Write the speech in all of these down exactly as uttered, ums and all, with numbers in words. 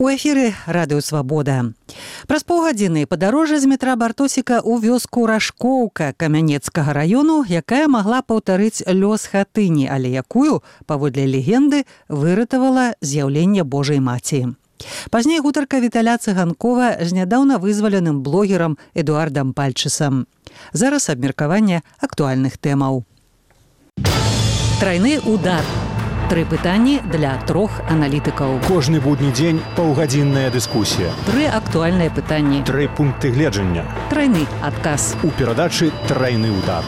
У эфіры радыё Свабода. Праз паўгадзіны падарожжа з метра Бартосіка ў вёску Рашкоўка Камянецкага раёну, якая магла паўтарыць лёс хатыні, але якую, паводле легенды, выратавала з'яўленне Божай Маці. Пазней гутарка Віталя Цыганкова з нядаўна вызваленым блогерам Эдуардам Пальчысам. Зараз абмеркаванне актуальных тэмаў. Трайны удар. Тры пытанні для трох аналітыкаў. Кожны будні дзень паўгадзінная дыскусія. Тры актуальныя пытанні. Тры пункты гледжання. Трайны адказ. У перадачы «Трайны удар».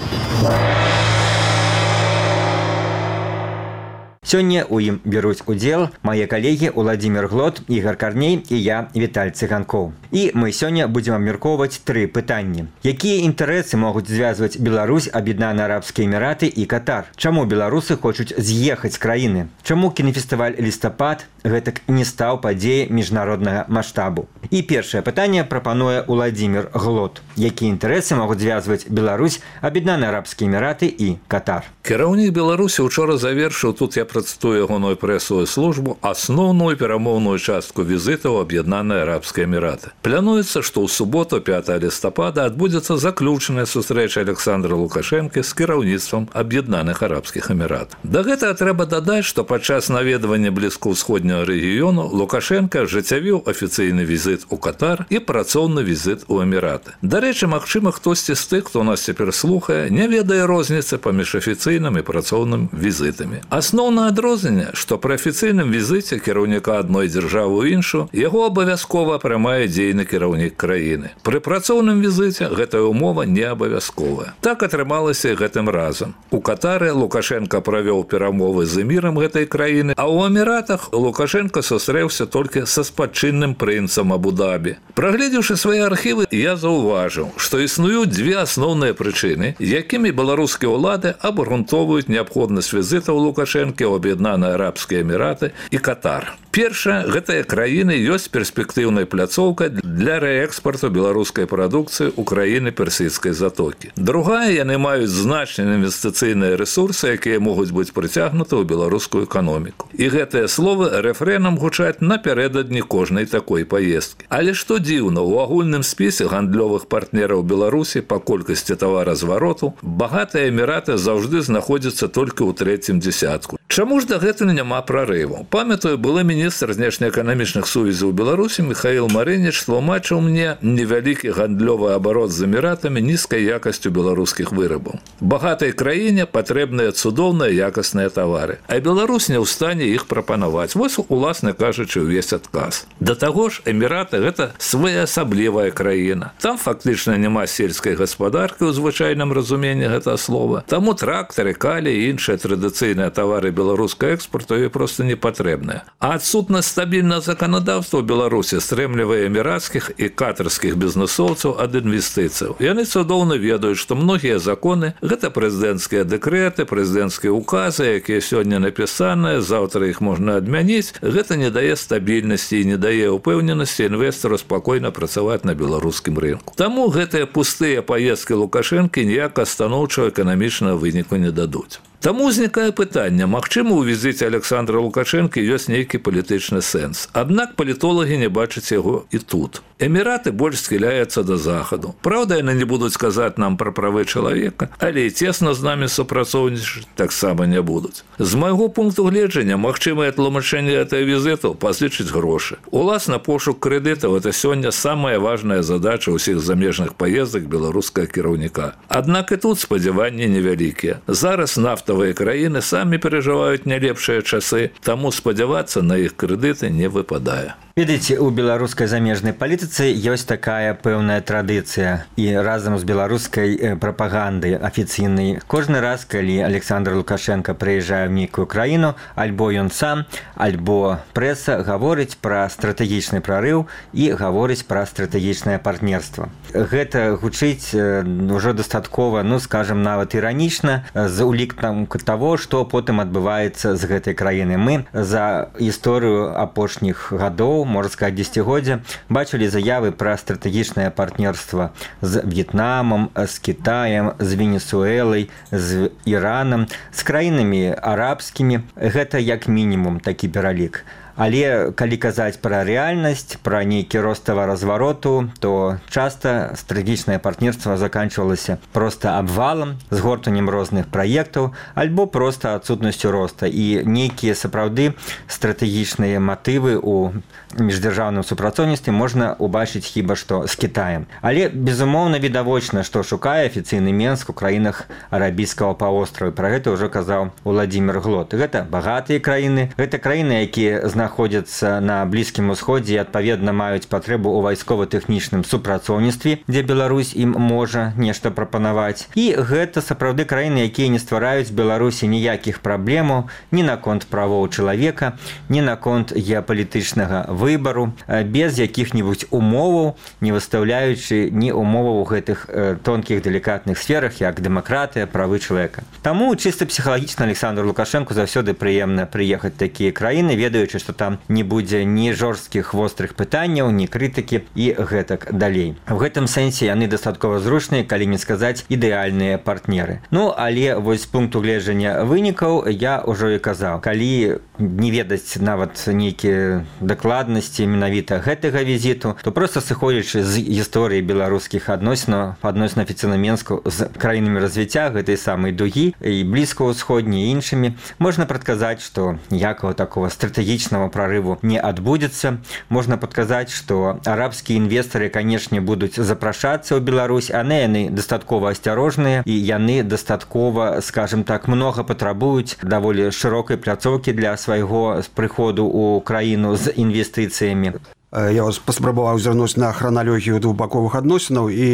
Сёння ў ім бяруць удзел мае калегі Уладзімір Глот, Ігар Карней і я, Віталь Цыганкоў. І мы сёння будзем абмяркоўваць тры пытанні. Якія інтарэсы могуць звязваць Беларусь, Аб'яднаныя Арабскія Эміраты і Катар? Чаму беларусы хочуць з'ехаць з краіны? Чаму кінафестываль «Лістапад» гэтак не стаў падзеяй міжнароднага маштабу? І першае пытанне прапануе Уладзімір Глот. Якія інтарэсы могуць звязваць Беларусь, Аб'яднаныя Арабскія Эміраты і Катар? Кіраўнік Беларусі учора завершыў, тут я працытую ягоную прэсавую службу, асноўную перамоўную частку візіта ў Аб'яднаныя Арабскія Эміраты. Плануецца, што ў суботу пятага лістапада адбудзецца заключаная сустрэча Александра Лукашэнкі з кіраўніцтвам Аб'яднаных Арабскіх Эміратаў. Да гэтага трэба дадаць, што падчас наведвання блізкаўсходняга рэгіёну Лукашенка ажыццявіў афіцыйны візіт у Катар і працоўны візіт у Эміраты. Дарэчы, магчыма, хтосьці з тых, хто нас цяпер слухае, не ведае розніцы паміж афіцыйным і працоўным візітамі. Асноўнае адрозненне, што пры афіцыйным візіце кіраўніка адной дзяржавы ў іншую яго абавязкова прымае дзейны кіраўнік краіны. Пры працоўным візіце гэтая умова не абавязковая. Так атрымалася і гэтым разам. У Катары Лукашенка правёў перамовы з эмірам гэтай краіны, а ў Эміратах Лукашенка сустрэўся толькі са спадчынным прынцам Абу-Дабі. Прагледзеўшы свае архівы, я заўважыў, што існуюць дзве асноўныя прычыны, якімі беларускія ўлады абгрунтоўваюць неабходнасць візітаў Лукашэнкі ў Аб'яднаныя Арабскія Эміраты і Катар. Першая, гэтая краіна ёсць перспектыўнай пляцоўкай для рээкспарту беларускай прадукцыі ў краіны Персійскай затокі. Другая, яны маюць значныя інвестыцыйныя рэсурсы, якія могуць быць прыцягнуты ў беларускую эканоміку. І гэтыя словы рэфрэнам гучаць напярэдадні кожнай такой паездкі. Але што дзіўна, у агульным спісе гандлёвых партнераў Беларусі па колькасці таваразвароту багатыя Эміраты заўжды знаходзяцца толькі ў трэцім дзесятку. Чаму ж дагэтуль няма прарыву? Памятаю, былы міністр знешнеэканамічных сувязяў Беларусі Михаил Марыніч тлумачыў мне невялікі гандлёвы абарот з Эміратамі нізкай якасцю беларускіх вырабаў. Багатай краіне патрэбныя цудоўныя якасныя тавары, а Беларусь не ў стане іх прапанаваць. Вось, уласна кажучы, увесь адказ. Да таго ж, Эміраты – гэта своеасаблівая краіна. Там фактычна няма сельскай гаспадаркі ў звычайным разуменні гэтага слова. Таму трактары, калі і іншыя традыцыйныя тавары беларускага экспорту ёй проста не патрэбныя. А адсутнасць стабільнага заканадаўства ў Беларусі стрэмлівае эмірацкіх і катарскіх бізнэсоўцаў ад інвестыцыяў. Яны цудоўна ведаюць, што многія законы – гэта прэзідэнцкія дэкрэты, прэзідэнцкія указы, якія сёння напісаныя, заўтра іх можна адмяніць. Гэта не дае стабільнасці і не дае ўпэўненасці інвестару спакойна працаваць на беларускім рынку. Таму гэтыя пустыя паездкі Лукашэнкі ніякага станоўчага эканамічнага выніку не дадуць. Таму ўзнікае пытанне, магчыма, у візіце Александра Лукашэнкі ёсць нейкі палітычны сэнс. Аднак палітолагі не бачаць яго і тут. Эміраты больш схіляюцца да захаду. Праўда, яны не будуць казаць нам пра правы чалавека, але і цесна з намі супрацоўнічаць таксама не будуць. З майго пункту гледжання, магчымае тлумачэнне гэтага візіту пазычыць грошы. Уласна, пошук крэдытаў – гэта сёння самая важная задача ўсіх замежных паездак беларускага кіраўніка. Аднак і тут спадзяванні невялікія. Зараз нафтавыя краіны самі перажываюць не лепшыя часы, таму спадзявацца на іх крэдыты не выпадае. Ведаеце, у беларускай замежнай палітыцы ёсць такая пэўная традыцыя і разам з беларускай прапагандай афіцыйнай. Кожны раз, калі Александр Лукашенко прыязджае ў нейкую краіну, альбо ён сам, альбо прэса гаворыць пра стратэгічны прарыў і гаворыць пра стратэгічнае партнерства. Гэта гучыць ўжо дастаткова, ну, скажам, нават іранічна, з улікам таго, што потым адбываецца з гэтай краіны. Мы за гісторыю апошніх гадоў, можна сказаць, дзесяцігоддзя, бачылі заявы пра стратэгічнае партнерства з В'етнамам, з Кітаем, з Венесуэлай, з Іранам, з краінамі арабскімі. Гэта як мінімум такі пералік. Але калі казаць пра рэальнасць, пра нейкі роставы развароту, то часта стратэгічнае партнерства заканчвалася проста абвалам, згортаннем розных праектаў, альбо проста адсутнасцю роста. І нейкія сапраўды стратэгічныя матывы ў міждзяржаўным супрацоўніцтве можна убачыць хіба што з Кітаем. Але, безумоўна, відавочна, што шукае афіцыйны Менск у краінах арабійскага паўвострава. Пра гэта ўжо казаў Уладзімір Глот. Гэта багатыя краіны, гэта краіны, якія знаходзяцца на Блізкім Усходзе і, адпаведна, маюць патрэбу ў вайскова-тэхнічным супрацоўніцтве, дзе Беларусь ім можа нешта прапанаваць. І гэта сапраўды краіны, якія не ствараюць Беларусі ніякіх праблемаў ні наконт правоў чалавека, ні наконт геапалітычнага выбару, без якіх-небудзь умоваў, не выстаўляючы ні умоваў у гэтых тонкіх делікатных сферах, як дэмакратыя, правы чалавека. Таму чыста псіхалагічна Александру Лукашэнку заўсёды прыемна прыехаць такія краіны, ведаючы, што там не будзе ні жорсткіх вострых пытанняў, ні крытыкі і гэтак далей. В гэтым сэнсе яны дастаткова зручныя, калі не сказаць ідэальныя партнеры. Ну, але вось з пункту гледжання вынікаў я ўжо і казаў. Калі не ведаць нават нейкія дакладнасці менавіта гэтага візіту, то проста сыходзячы з гісторыі беларускіх адносінаў, адносін афіцыйна Менску з краінамі развіцця гэтай самай дугі і блізкаўсходняй і іншымі, можна прадказаць, што ніякага такого стратэгічнага прарыву не адбудзецца. Можна падказаць, што арабскія інвестары, канешне, будуць запрашацца ў Беларусь, а не яны дастаткова асцярожныя і яны дастаткова, скажем так, многа патрабуюць даволі шырокай пляцоўкі для свайго прыходу ў краіну з інвестыцыямі. Я паспрабаваў зірнуць на храналогію двухбаковых адносінаў і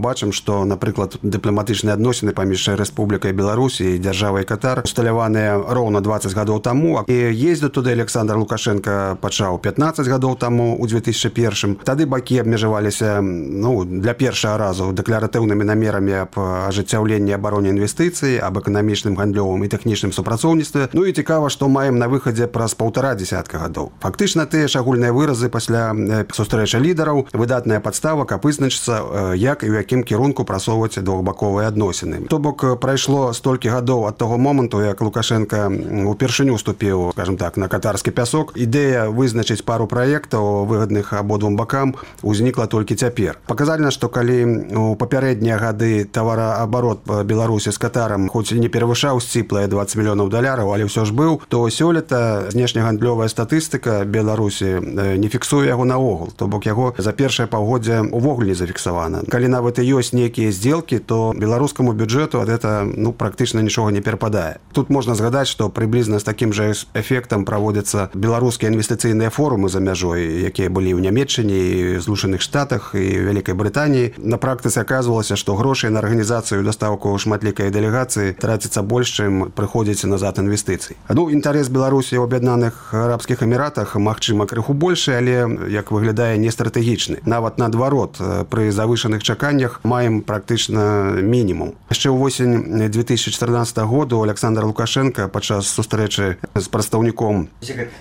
бачым, што, напрыклад, дыпламатычныя адносіны паміж Рэспублікай Беларусь і дзяржавай Катар усталяваныя роўна дваццаць гадоў таму, і ездзіў туды Александр Лукашенко пачаў пятнаццаць гадоў таму ў две тысячы першым. Тады бакі абмежаваліся, ну, для першага разу дэкларатыўнымі намерамі аб ажыццяўленні абароне інвестыцый, аб эканамічным, гандлёвым і тэхнічным супрацоўніцтве. Ну і цікава, што маем на выхадзе праз паўтара дзясятка гадоў. Фактычна тыя ж агульныя выразы пасля сустрэча лідараў, выдатная падстава, каб вызначыцца, як і ў якім кірунку прасоўваць двухбаковыя адносіны. То бок прайшло столькі гадоў ад таго моманту, як Лукашенко упершыню уступіў, скажем так, на катарскі пясок. Ідэя вызначыць пару праектаў выгадных абодвум бакам узнікла толькі цяпер. Паказальна, што калі у папярэднія гады тавараабарот Беларусі з Катарам хоць і не перавышаў сціплыя дваццаць мільёнаў даляраў, але ўсё ж быў, то сёлета знешнегандлёвая статыстыка Беларусі не фіксуе яго наогул, то бок яго за першае паўгоддзе увогуле не зафіксавана. Калі нават і ёсць нейкія здзелкі, то беларускаму бюджэту ад гэта, ну, практычна нічога не перападае. Тут можна згадаць, што прыблізна з такім жа эфектам праводзяцца беларускія інвестыцыйныя форумы за мяжой, якія былі ў Нямецчыне і Злучаных Штатах і Вялікай Брытаніі. На практыцы аказвалася, што грошай на арганізацыю дастаўку шматлікай дэлегацыі траціцца больш, чым прыходзіць назад інвестыцый. Ну, інтарэс Беларусі ў Аб'яднаных Арабскіх Эміратах, магчыма, крыху большы, але як выглядае не стратэгічны. Нават наадварот, пры завышаных чаканнях маем практычна мінімум. Яшчэ ўвосень две тысячи чатырнаццатага году Александр Лукашенко падчас сустрэчы з прадстаўніком.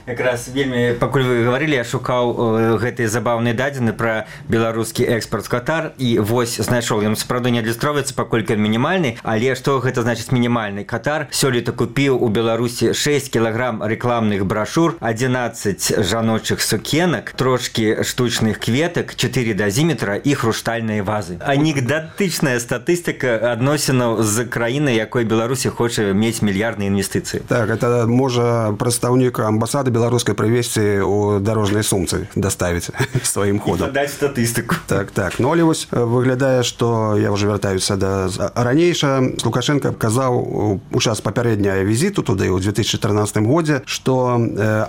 Якраз вельмі, пакуль вы гаварылі, я шукаў гэтыя забаўныя дадзены пра беларускі экспорт з Катар і вось знайшоў. Ён сапраўды не адлюстроўваецца, паколькі ён мінімальны, але што гэта значыць мінімальны? Катар сёлета купіў у Беларусі шэсць кілаграм рэкламных брашур, адзінаццаць жаночых сукенак, трошки штучных кветак, чатыры дазіметра і хрустальныя вазы. Анекдотычная статыстыка адносінаў з краінай, якой Беларусі хоча мець мільярдныя інвестыцыі. Так, это можа прадстаўнік амбасады беларускай прывезці ў дарожнай сумцы, даставіць сваім ходам. І падаць статыстыку. Так, так. Ну, але вось выглядае, што я ўжо вяртаюся да ранейша. Лукашенко казаў у час папярэдняга візіту туды ў две тысячи чатырнаццатым годзе, што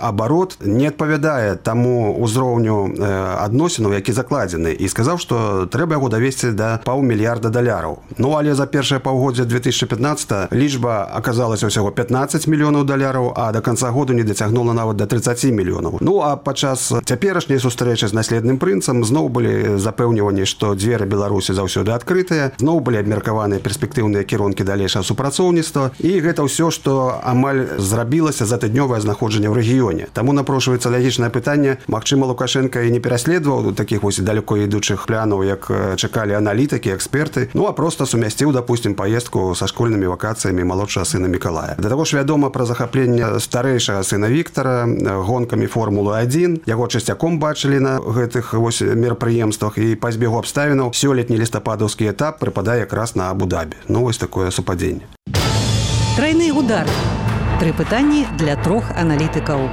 абарот не адпавядае таму ўзроўню адносінаў, які закладзены, і сказаў, што трэба яго давесці да паўмільярда даляраў. Ну, але за першае паўгоддзе две тысячи пятнаццатага лічба аказалася ўсяго пятнаццаць мільёнаў даляраў, а да канца году не дацягнула нават да трыццаці мільёнаў. Ну, а падчас цяперашняй сустрэчы з наследным прынцам зноў былі запэўніванні, што дзверы Беларусі заўсёды адкрытыя, зноў былі абмеркаваныя перспектыўныя кірункі далейшага супрацоўніцтва, і гэта ўсё, што амаль зрабілася за тыднёвае знаходжанне ў рэгіёне. Таму напрошваецца лагічнае пытанне, магчыма, Лукашенко і не пераследаваў такіх вось далеко ідучых планаў, як чакалі аналітыкі, эксперты, ну а просто сумясціў, допустим, поездку са школьнымі вакацыямі малодшага сына Мікалая. Да таго ж вядома пра захапленне старэйшага сына Віктара гонкамі Формулы адзін. Яго часцяком бачылі на гэтых вось мерапрыемствах, і па збегу абставінаў сёлетні лістападаўскі этап прыпадае якраз на Абу-Дабі. Ну вось такое супадзенне. Трайны удар. Тры пытанні для трох аналітыкаў.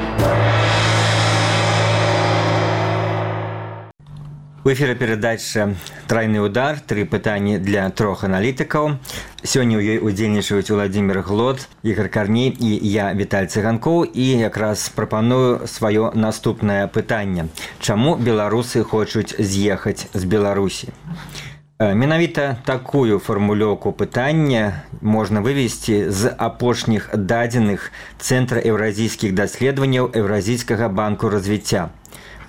У эфіры перадача «Трайны удар», тры пытанні для трох аналітыкаў. Сёння ў ёй удзельнічаюць Уладзімір Глод, Ігор Карней і я, Віталь Цыганкоў, і якраз прапаную сваё наступнае пытанне. Чаму беларусы хочуць з'ехаць з Беларусі? Менавіта такую фармулёўку пытання можна вывесці з апошніх дадзеных Цэнтра еўразійскіх даследаванняў Еўразійскага банку развіцця.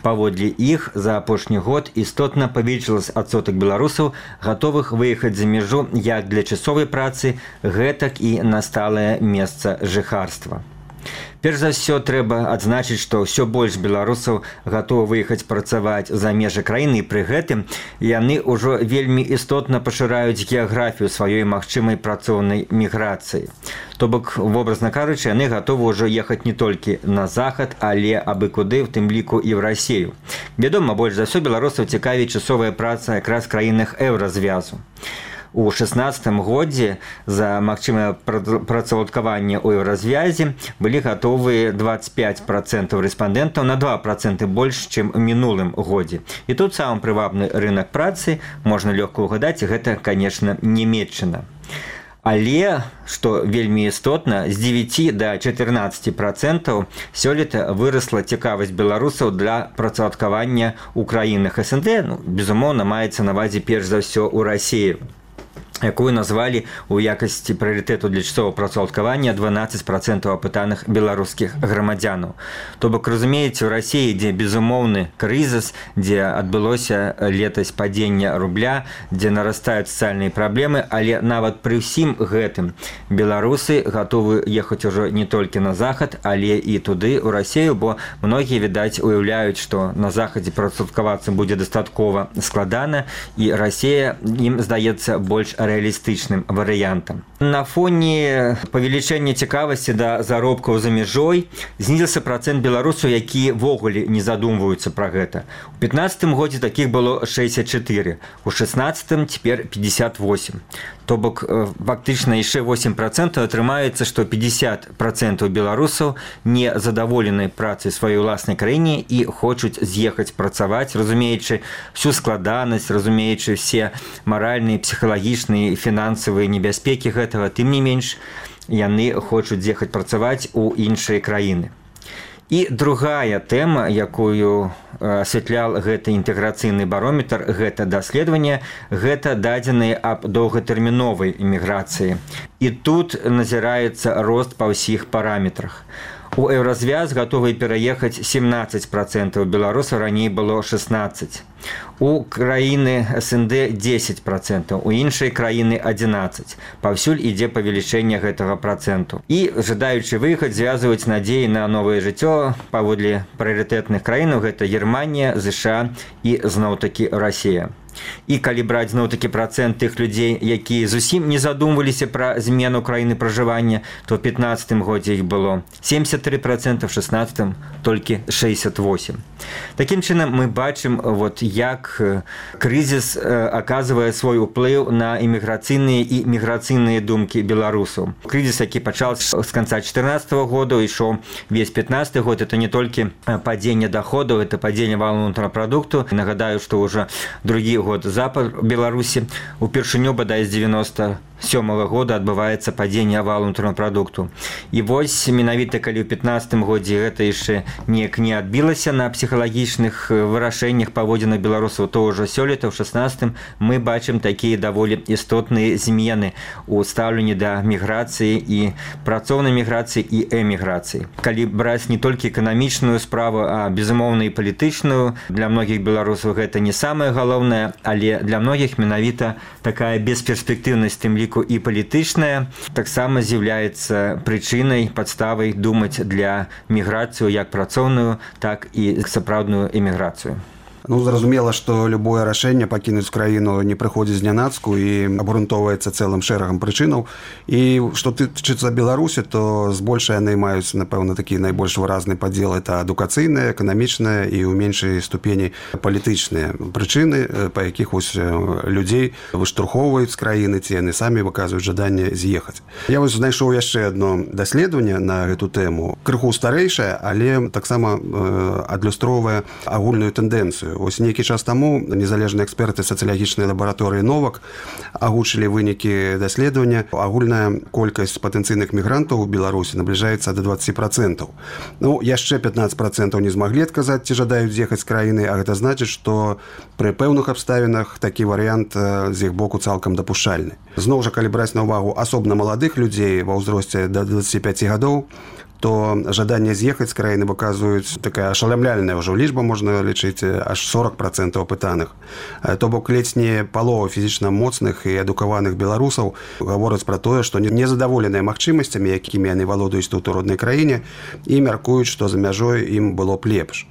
Паводле іх за апошні год істотна павялічылася адсотак беларусаў, гатовых выехаць за мяжу як для часовай працы, гэтак і на сталае месца жыхарства. Перш за ўсё трэба адзначыць, што ўсё больш беларусаў гатовы выехаць працаваць за межы краіны, і пры гэтым яны ўжо вельмі істотна пашыраюць геаграфію сваёй магчымай працоўнай міграцыі. То бок, вобразна кажучы, яны гатовы ўжо ехаць не толькі на захад, але абы куды, в тым ліку і ў Расію. Вядома, больш за ўсё беларусаў цікавіць часовая праца якраз краінах еўразвязу. У шэснаццатым годзе за магчымае працаўладкаванне ў еўразвязе былі гатовыя дваццаць пяць працэнтаў рэспандэнтаў, на два працэнты больш, чым у мінулым годзе. І тут самы прывабны рынак працы, можна лёгка ўгадаць, гэта, канешне, Нямецчына. Але, што вельмі істотна, з дзевяці да чатырнаццаці працэнтаў сёлета вырасла цікавасць беларусаў для працаўладкавання ў краінах эс эн дэ, ну, безумоўна, маецца на ўвазе перш за ўсё ў Расіі, якую назвалі у якасці прыярытэту для часовага працаўладкавання дванаццаць працэнтаў апытаных беларускіх грамадзянаў. То бок, разумееце, у Расіі, дзе безумоўны крызіс, дзе адбылося летась падзення рубля, дзе нарастаюць сацыяльныя праблемы, але нават пры ўсім гэтым беларусы гатовы ехаць ужо не толькі на захад, але і туды, у Расію, бо многія, відаць, уяўляюць, што на захадзе працаўладкавацца будзе дастаткова складана, і Расія ім здаецца больш рэалістычным варыянтам. На фоне павелічэння цікавасці да заробкаў за мяжой знізіўся працэнт беларусаў, якія ввогуле не задумваюцца пра гэта. У пятнаццатым годзе такіх было шэсцьдзесят чатыры, у шэснаццатым цяпер пятьдесят восемь. То бок, фактычна яшчэ восемь працэнтаў атрымаецца, што пятьдесят працэнтаў беларусаў не задаволены працай сваёй уласнай краіне і хочуць з'ехаць працаваць, разумеючы всю складанасць, разумеючы все маральныя, псіхалагічныя і фінансавыя небяспекі гэтага, тым не менш, яны хочуць з'ехаць працаваць у іншыя краіны. І другая тэма, якую асвятлял гэты інтэграцыйны барометр, гэта даследаванне, гэта дадзеныя аб доўгатэрміновай эміграцыі. І тут назіраецца рост па ўсіх параметрах. У еўразвяз гатовы пераехаць семнаццаць працэнтаў беларусаў, раней было шэснаццаць. У краіны эс эн дэ дзесяць працэнтаў, у іншай краіны адзінаццаць. Паўсюль ідзе павелічэнне гэтага працэнту. І жадаючы выехаць звязваюць надзеі на новае жыццё паводле прыярытэтных краінаў, гэта Германія, ЗША і зноў-такі Расія. І калі браць зноў-такі працэнт тых людзей, якія зусім не задумваліся пра змену краіны пражывання, то ў пятнаццатым годзе іх было семьдесят три працэнта, в шэснаццатым толькі шэсцьдесят восемь. Такім чынам мы бачым, вот, як крызіс аказвае свой уплыў на эміграцыйныя і міграцыйныя думкі беларусаў. Крызіс, які пачаўся з канца чатырнаццатага года, ішоў весь пятнаццаты год, это не толькі падзенне даходаў, это падзенне валовага ўнутранага прадукту. Нагадаю, што ўжо другі год запад Беларусі упершыню бадай з девяносто сёмага года адбываецца падзенне валовага ўнутранага прадукту. І вось менавіта калі ў пятнаццатым годзе гэта яшчэ неяк не адбілася на псіхалагічных вырашэннях паводзінах беларусаў, то ўжо сёлета ў шэснаццатым мы бачым такія даволі істотныя змены ў стаўленні да міграцыі і працоўнай міграцыі і эміграцыі. Калі браць не толькі эканамічную справу, а безумоўна і палітычную, для многіх беларусаў гэта не самае галоўнае, але для многіх менавіта такая бесперспектыўнасць, тым ліку ліку і палітычная таксама з'яўляецца прычынай, падставай думаць для міграцыю як працоўную, так і сапраўдную эміграцыю. Ну, зразумела, што любое рашэнне пакінуць краіну не прыходзіць знянацку і абгрунтоўваецца цэлым шэрагам прычынаў. І што тычыцца Беларусі, то збольшага яны маюць, напэўна, такі найбольш выразны падзел. Это адукацыйныя, эканамічныя і ў меншай ступені палітычныя прычыны, па якіх вось людзей выштурхоўваюць з краіны, ці яны самі выказваюць жаданне з'ехаць. Я вось знайшоў яшчэ адно даследаванне на гэту тэму. Крыху старэйшае, але таксама адлюстроўвае агульную тэндэнцыю. Вось нейкі час таму незалежныя эксперты сацыялагічнай лабараторыі Новак агучылі вынікі даследавання. Агульная колькасць патэнцыйных мігрантаў у Беларусі набліжаецца да дваццаць працэнтаў. Ну, яшчэ пятнаццаць працэнтаў не змаглі адказаць, ці жадаюць з'ехаць з краіны, а гэта значыць, што пры пэўных абставінах такі варыянт з іх боку цалкам дапушчальны. Зноў жа, калі браць на ўвагу асобна маладых людзей ва ўзросце да дваццаці пяці гадоў, то жаданне з'ехаць з краіны выказваюць такая ашалямляльная ўжо лічба, можна лічыць аж сорок працэнтаў апытаных. То бок ледзь не палова фізічна моцных і адукаваных беларусаў гавораць пра тое, што незадаволеныя магчымасцямі, якімі яны валодаюць тут у роднай краіне, і мяркуюць, што за мяжой ім было б лепш.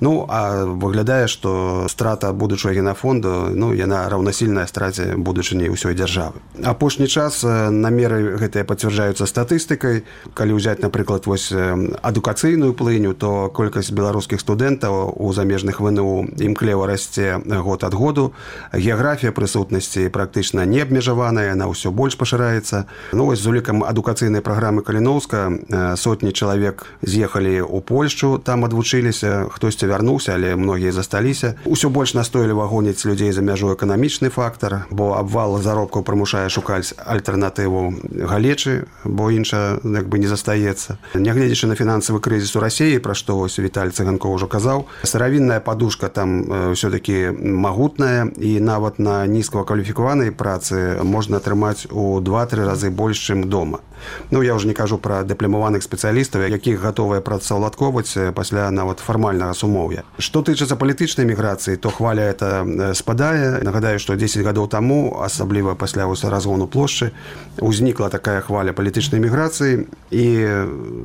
Ну, а выглядае, што страта будучага генафонду, ну, яна раўнасільная страце будучыні ўсёй дзяржавы. Апошні час намеры гэтыя пацвярджаюцца статыстыкай. Калі ўзяць, напрыклад, вось адукацыйную плыню, то колькасць беларускіх студэнтаў у замежных ВНУ імклева расце год ад году. Геаграфія прысутнасці практычна не абмежаваная, яна ўсё больш пашыраецца. Ну, вось з улікам адукацыйнай праграмы Каліноўска сотні чалавек з'ехалі ў Польшчу, там адвучыліся, хтосьці вярнуўся, але многія засталіся. Усё больш настойліва гоняць людзей за мяжу эканамічны фактар, бо абвал заробкаў прымушае шукаць альтэрнатыву галечы, бо інша як бы не застаецца. Нягледзячы на фінансавы крызіс у Расіі, пра што вось Віталь Цыганкоў ужо казаў, сыравінная падушка там ўсё-такі магутная, і нават на нізкакваліфікаванай працы можна атрымаць у два-тры разы больш, чым дома. Ну, я ўжо не кажу пра дыпламаваных спецыялістаў, якіх гатовыя працаўладковаць пасля нават фармальнага сумоўя. Што тычыцца палітычнай міграцыі, то хваля это спадае. Нагадаю, што дзесяць гадоў таму, асабліва пасля разгону плошчы, узнікла такая хваля палітычнай міграцыі, і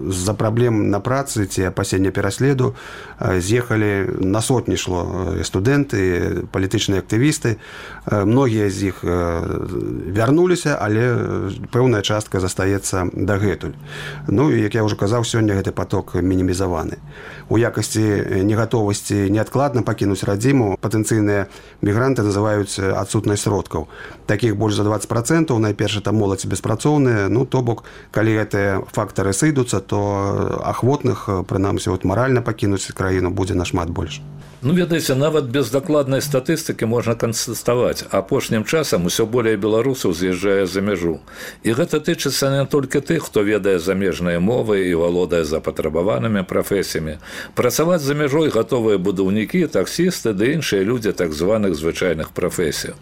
з-за праблем на працы ці апасення пераследу з'ехалі на сотні шло студэнты, палітычныя актывісты. Многія з іх вярнуліся, але пэўная частка застаецца дагэтуль. Ну, і, як я ўжо казаў, сёння гэты паток мінімізаваны. У якасці негатовасці неадкладна пакінуць радзіму патэнцыйныя мігранты называюць адсутнасць сродкаў. Такіх больш за дваццаць працэнтаў, найперш это моладзь беспрацоўныя. Ну, то бок, калі гэтыя фактары сыйдуцца, то ахвотных, прынамсі, от маральна пакінуць краіну будзе нашмат больш. Ну, ведаеце, нават без дакладнай статыстыкі можна канстатаваць, апошнім часам усё болей беларусаў з'язджае за мяжу. І гэта тычыцца не толькі тых, хто ведае замежныя мовы і валодае запатрабаванымі прафесіямі. Працаваць за мяжой гатовыя будаўнікі, таксісты ды іншыя людзі так званых звычайных прафесій.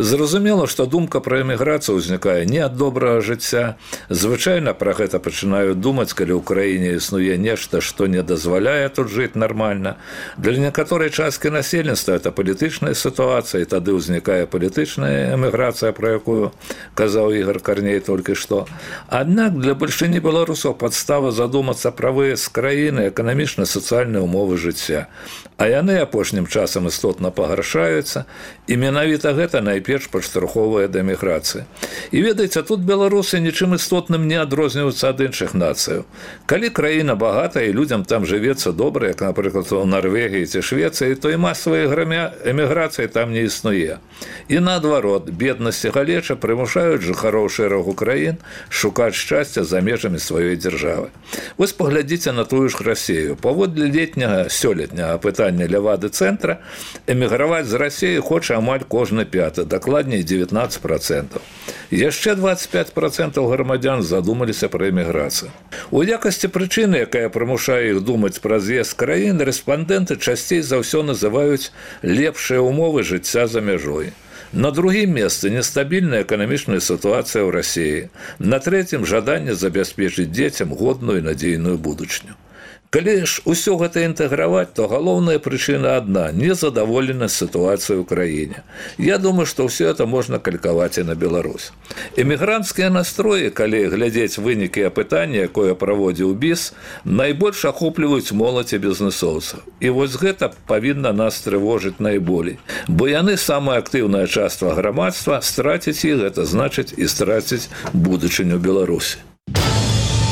Зразумела, што думка пра эміграцыю ўзнікае не ад добрага жыцця. Звычайна пра гэта пачынаюць думаць, калі ў краіне існуе нешта, што не дазваляе тут жыць нармальна. Для некаторых часткі насельніцтва это палітычная сітуацыя, і тады ўзнікае палітычная эміграцыя, пра якую казаў Ігор Карней толькі што. Аднак для бальшыні беларусаў падстава задумацца пра выезд з краіны, эканамічна-сацыяльныя ўмовы жыцця. А яны апошнім часам істотна пагаршаюцца, і менавіта гэта найперш падштурхоўвае да эміграцыі. І ведаеце, тут беларусы нічым істотным не адрозніваюцца ад іншых нацыяў. Калі краіна багатая і людзям там жывецца добра, як, напрыклад, у Нарвегіі ці Швецыі, то і масавай эміграцыі там не існуе. І наадварот, беднасць і галеча прымушаюць жыхароў шэрагу краін шукаць шчасця за межамі сваёй дзяржавы. Вось паглядзіце на тую ж Расію. Паводле летняга сёлетняга апытання Левады-цэнтра, эміграваць з Расіі хоча амаль кожны пяты, дакладней дзевятнаццаць працэнтаў. Яшчэ дваццаць пяць працэнтаў грамадзян задумаліся пра эміграцыю. У якасці прычыны, якая прымушае іх думаць пра з'езд з краін, рэспандэнты часцей за ўсё называюць лепшыя ўмовы жыцця за мяжой. На другім месцы нестабільная эканамічная сітуацыя ў Расіі. На трэцім жаданне забяспечыць дзецям годную і надзейную будучню. Калі ж усё гэта інтэграваць, то галоўная прычына адна – незадаволенасць сітуацыі ў краіне. Я думаю, што ўсё это можна калькаваць і на Беларусь. Эмігранцкія настроі, калі глядзець вынікі апытання, якое праводзіў БІС, найбольш ахопліваюць моладзь і бізнэсоўцаў. І вось гэта павінна нас трывожыць найболей. Бо яны самая актыўная частка грамадства, страціць іх – гэта значыць і страціць будучыню Беларусі.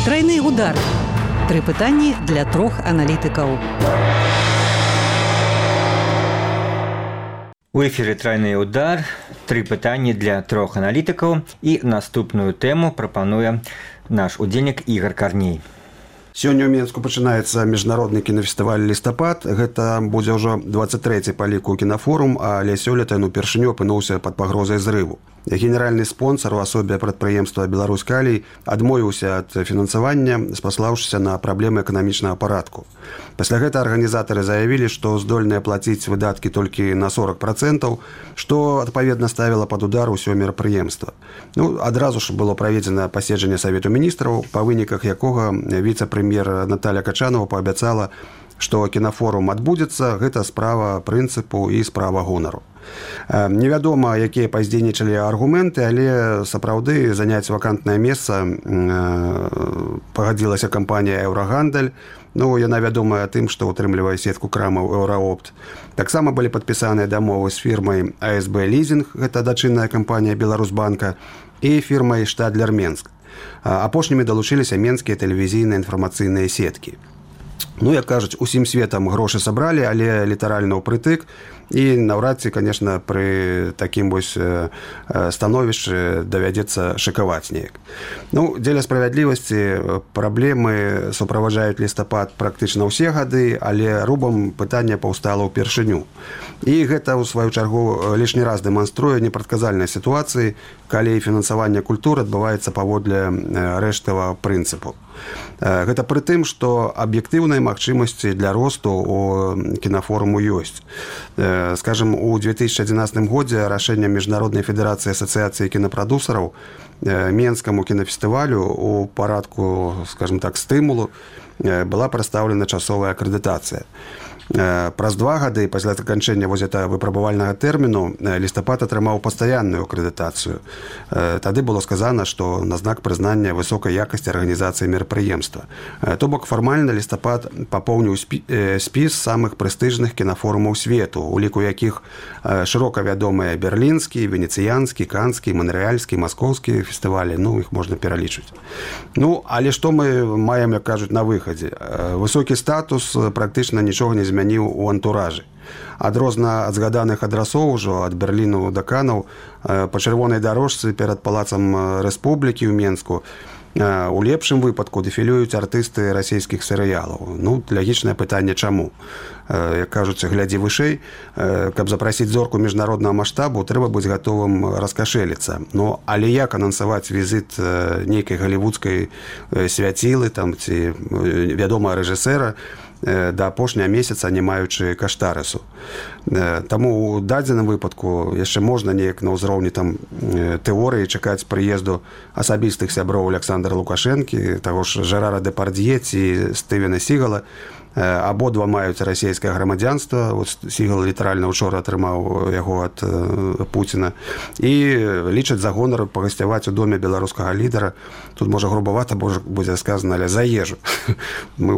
Трайны удар. Тры пытанні для трох аналітыкаў. У эфіры трайны удар, тры пытанні для трох аналітыкаў і наступную тэму прапануе наш удзельнік Ігар Карней. Сёння ў Менску пачынаецца міжнародны кінафестываль «Лістапад». Гэта будзе ўжо дваццаць трэці па ліку кінафорум, але сёлета ён упершыню апынуўся пад пагрозай зрыву. Генеральны спонсор у асобе прадпрыемства «Беларусь-Калій» адмовіўся ад фінансавання, спаслаўшыся на праблемы эканамічнага парадку. Пасля гэта арганізатары заявілі, што здольныя плаціць выдаткі толькі на сорок процентаў, што адпаведна ставіла пад удар усё мерапрыемства. Ну, адразу ж было праведзена паседжанне Савету міністраў, па выніках якога віцэ-прэм'ер Наталя Качанова паабяцала, што кінафорум адбудзецца, гэта справа прынцыпу і справа гонару. Невядома, якія паздзейнічалі аргументы, але сапраўды заняць вакантнае месца пагадзілася кампанія «Еўрагандаль». Ну, яна вядомая тым, што ўтрымлівае сетку крамаў «Еўраопт». Таксама былі падпісаныя дамовы з фірмай «А Эс Бэ Лізінг», гэта дачынная кампанія «Беларусьбанка», і фірмай «Штадлер Менск». Апошнімі далучыліся менскія тэлевізійныя інфармацыйныя сеткі. Ну, як кажуць, усім светам грошы сабралі, але літаральна ўпрытык. І наўрад ці, конечно, пры такім вось становішчы давядзецца шыкаваць неяк. Ну, дзеля справядлівасці праблемы суправаджаюць «Лістапад» практычна ўсе гады, але рубам пытання паўстала ўпершыню. І гэта, у сваю чаргу, лішні раз дэманструе непрадказальнай сітуацыі, калі фінансаванне культуры адбываецца паводле рэштавага прынцыпу. Гэта пры тым, што аб'ектыўныя магчымасці для росту у кінафоруму ёсць. Скажем, у две тысячи адзінаццатым годзе рашэннем Міжнароднай федэрацыі асацыяцыі кінапрадусараў Менскаму кінафестывалю у парадку, скажем так, стымулу была прадстаўлена часовая акрэдытацыя. Праз два гады пасля заканчэння вось гэта выпрабавальнага тэрміну «Лістапад» атрымаў пастаянную акрэдытацыю. Тады было сказана, што на знак прызнання высокай якасці арганізацыі мерапрыемства. То бок фармальна «Лістапад» папоўніў спіс самых прэстыжных кінафорумаў свету, у ліку якіх шырока вядомыя берлінскі, венецыянскі, канскі, манрэальскі, маскоўскі фестывалі, ну, іх можна пералічыць. Ну, але што мы маем, як кажуць, на выхадзе? Высокі статус практычна нічога не змяніў у антуражы. Адрозна ад згаданых адрасоў ужо, ад Берліну да Канаў, па чырвонай дарожцы перад палацам Рэспублікі ў Менску у лепшым выпадку дэфілююць артысты расійскіх серыялаў. Ну, лагічнае пытанне, чаму? Як кажуць, глядзі вышэй, каб запрасіць зорку міжнароднага маштабу, трэба быць гатовым раскашэліцца. Ну, але як анансаваць візіт нейкай галівудскай свяцілы там, ці вядомага рэжысэра да апошняга месяца, не маючы каштарысу. Таму у дадзеным выпадку яшчэ можна неяк на ўзроўні там тэорыі чакаць прыезду асабістых сяброў Александра Лукашэнкі, таго ж Жерара Дэпардье ці Стывена Сігала. Абодва маюць расійскае грамадзянства. Сігал літаральна учора атрымаў яго ад Пуціна. І лічаць за гонар пагасцяваць у доме беларускага лідара. Тут, можа, грубавата будзе сказана, але за ежу. Мы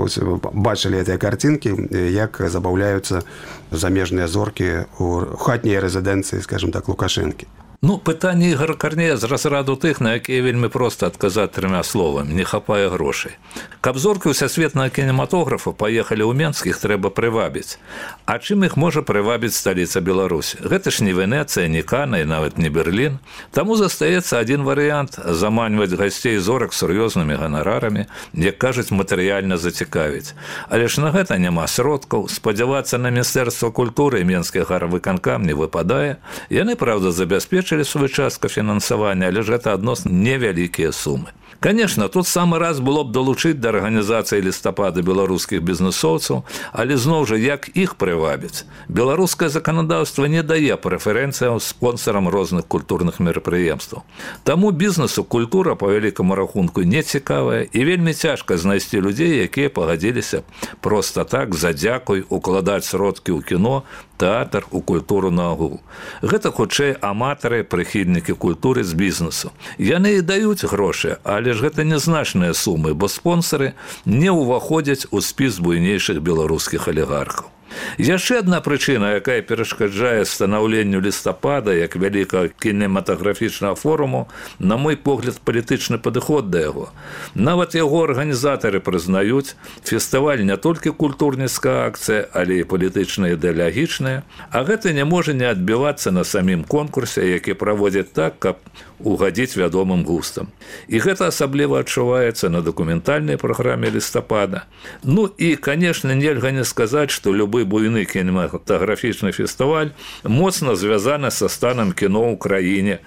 бачылі гэтыя карцінкі, як забаўляюцца замежныя зоркі ў хатняй рэзідэнцыі, скажем так, Лукашэнкі. Ну, пытанне Ігора Карнея з разраду тых, на якія вельмі проста адказаць трыма словамі: не хапае грошай. Каб зоркі сусветнага кінематографа паехалі ў Менск, іх трэба прывабіць. А чым іх можа прывабіць сталіца Беларусі? Гэта ж не Венецыя, не Кана і нават не Берлін. Таму застаецца адзін варыянт – заманьваць гасцей зорак сур'ёзнымі ганарарамі, як кажуць, матэрыяльна зацікавіць. Але ж на гэта няма сродкаў. Спадзявацца на Міністэрства культуры і Менскі гарвыканкам не выпадае. Яны, праўда, забяспечылі сваю частку фінансавання, але ж гэта адносна невялікія сумы. Конечно, тут самы раз было б долучыць да арганізацыі лістапада беларускіх бізнесоўцаў, але зноў жа як іх прывабіць. Беларускае заканадаўства не дае прэферэнцыяў спонсарам розных культурных мерапрыемстваў. Таму бізнесу культура па вялікаму рахунку не цікавая і вельмі цяжка знайсці людзей, якія пагадзіліся проста так за дзякуй укладаць сродкі ў кіно, тэатр, у культуру наогул. Гэта хутчэй аматары, прыхільнікі культуры з бізнесу. Яны і даюць грошы, але ж гэта нязначныя сумы, бо спонсары не ўваходзяць у спіс буйнейшых беларускіх алігархаў. Яшчэ адна прычына, якая перашкаджае станаўленню лістапада як вялікага кінематаграфічнага форуму, на мой погляд, палітычны падыход да яго. Нават яго арганізатары прызнаюць, фестываль не толькі культурніцкая акцыя, але і палітычная ідэалагічная, а гэта не можа не адбівацца на самім конкурсе, які праводзяць так, каб угадзіць вядомым густам. І гэта асабліва адчуваецца на дакументальнай праграме лістапада. Ну і, канешне, нельга не сказаць, што любы буйны кінематаграфічны фестываль моцна звязаны са станам кіно ў краіне,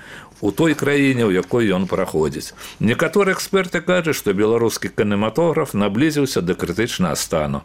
у той краіне, у якой ён праходзіць. Некаторыя эксперты кажуць, што беларускі кінематограф наблізіўся да крытычнага стану.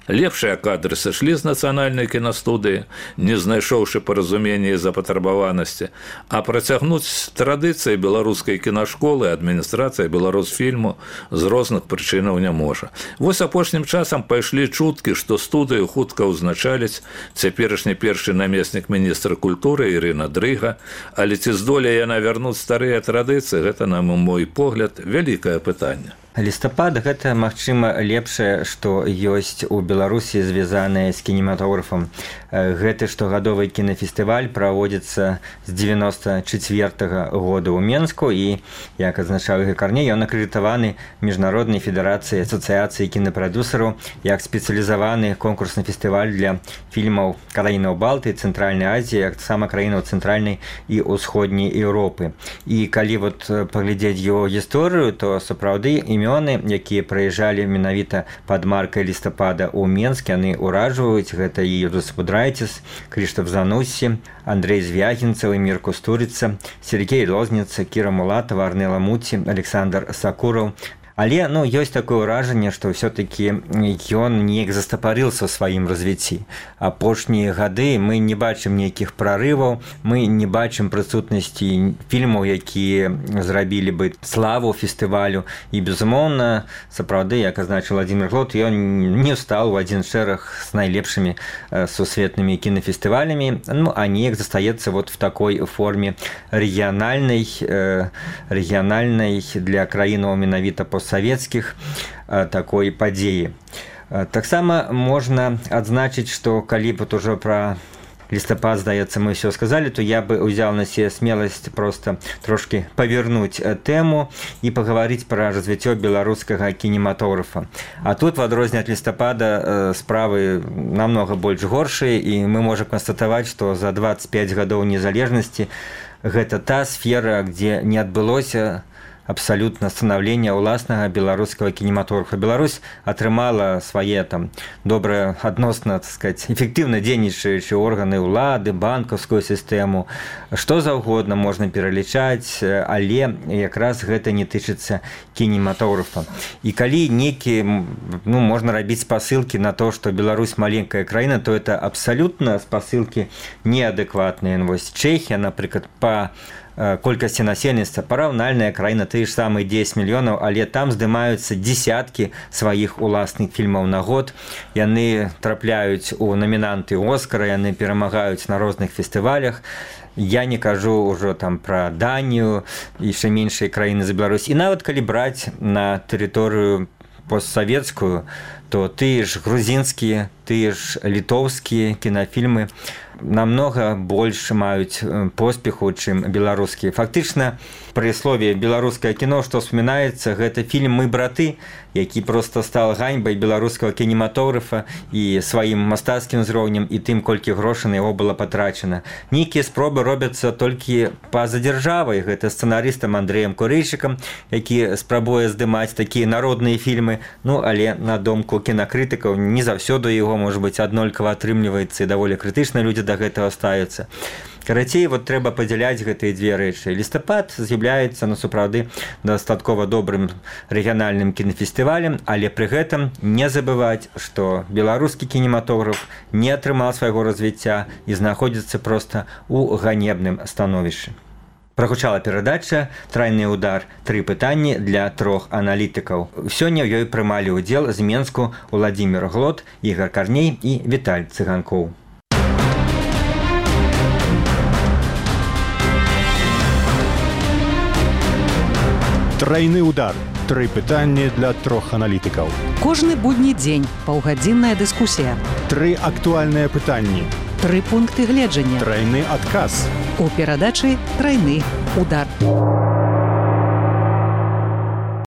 Лепшыя кадры сышлі з нацыянальнай кінастудыі, не знайшоўшы паразумення і запатрабаванасці, а працягнуць традыцыі беларускай кінашколы адміністрацыя беларусфільму з розных прычынаў не можа. Вось апошнім часам пайшлі чуткі, што студыю хутка ўзначаліць цяперашні першы намеснік міністра культуры Ірына Дрыга, але ці здолее яна вярнуць старыя традыцыі, гэта, на мой погляд, вялікае пытанне. Лістапад – гэта, магчыма, лепшае, што ёсць у Беларусі, звязанае з кінематографам. Гэты штогадовы кінафестываль праводзіцца з дзевяноста чацвёртага года ў Менску і, як адзначаў Ігор Карней, ён акрэдытаваны Міжнароднай федэрацыяй асацыяцыі кінапрадюсераў як спецыялізаваны конкурсны фестываль для фільмаў краінаў Балтыі, Цэнтральнай Азіі, як таксама краінаў Цэнтральнай і Ўсходняй Еўропы. І калі вот паглядзець яго гісторыю, то сапраўды імёны, якія прыязджалі менавіта пад маркай лістапада ў Менск, яны ўражваюць. Гэта і Юрыс Будрайціс, Крыштаф Зануссі, Андрей Звягінцаў, Эмір Кустурыца, Сергей Лозніца, Кіра Мулатава, Арнела Муці, Александр Сакураў. Але, ну, ёсць такое ўражанне, што ўсё-такі ён неяк застапарыўся ў сваім развіцці. Апошнія гады мы не бачым нейкіх прарываў, мы не бачым прысутнасці фільмаў, якія зрабілі бы славу фестывалю. І, безумоўна, сапраўды, як азначыў Владимир Глот, ён не стаў у адзін шэраг з найлепшымі сусветнымі кінафестывалямі, ну, а неяк застаецца вот в такой форме рэгіянальнай, рэгіянальнай для краінаў менавіта постсавецкіх такой падзеі. Таксама можна адзначыць, што калі б ужо пра лістапад, здаецца, мы ўсё сказалі, то я бы ўзяў на себе смеласць проста трошкі павернуць тэму і пагаварыць пра развіццё беларускага кінематографа. А тут, в адрозненне ад лістапада, справы намнога больш горшыя, і мы можам канстатаваць, што за дваццаць пяць гадоў незалежнасці гэта та сфера, дзе не адбылося абсалютна станаўлення ўласнага беларускага кінематографа. Беларусь атрымала свае там добра адносна, так сказаць, эфектыўна дзейнічаючыя органы ўлады, банкаўскую сістэму, што заўгодна можна пералічаць, але якраз гэта не тычыцца кінематографа. І калі нейкі, ну, можна рабіць спасылкі на то, што Беларусь маленькая краіна, то это абсалютна спасылкі неадэкватныя. Вось Чэхія, напрыклад, па колькасці насельніцтва параўнальная краіна, тыя ж самыя дзесяць мільёнаў, але там здымаюцца дзесяткі сваіх уласных фільмаў на год. Яны трапляюць у намінанты Оскара, яны перамагаюць на розных фестывалях. Я не кажу ўжо там пра Данію, яшчэ меншыя краіны за Беларусь. І нават калі браць на тэрыторыю постсавецкую, то тыя ж грузінскія, тыя ж літоўскія кінафільмы намнога больш маюць поспеху, чым беларускія. Фактычна, пры слове беларускае кіно, што ўспамінаецца, гэта фільм «Мы браты», які проста стал ганьбай беларускага кінематографа і сваім мастацкім узроўнем, і тым, колькі грошай на яго было патрачана. Нейкія спробы робяцца толькі па-за дзяржавай. Гэта сцэнарыстам Андрэем Курыйчыкам, які спрабуе здымаць такія народныя фільмы, ну, але на думку кінакрытыкаў не заўсёды яго, можа быць, аднолькава атрымліваецца, і даволі крытычна людзі да гэтага ставяцца. Карацей, вот трэба падзяляць гэтыя дзве рэчы. Лістапад з'яўляецца на сапраўды дастаткова добрым рэгіянальным кінафестывалем, але пры гэтым не забываць, што беларускі кінематограф не атрымаў свайго развіцця і знаходзіцца проста ў ганебным становішчы. Прагучала перадача «Трайны удар. Тры пытанні для трох аналітыкаў». Сёння ў ёй прымалі ўдзел з Менску Уладзімір Глот, Ігар Карней і Віталь Цыганкоў. Трайны удар. Тры пытанні для трох аналітыкаў. Кожны будні дзень паўгадзінная дыскусія. Тры актуальныя пытанні. Тры пункты гледжання. Трайны адказ. У перадачы «Трайны удар».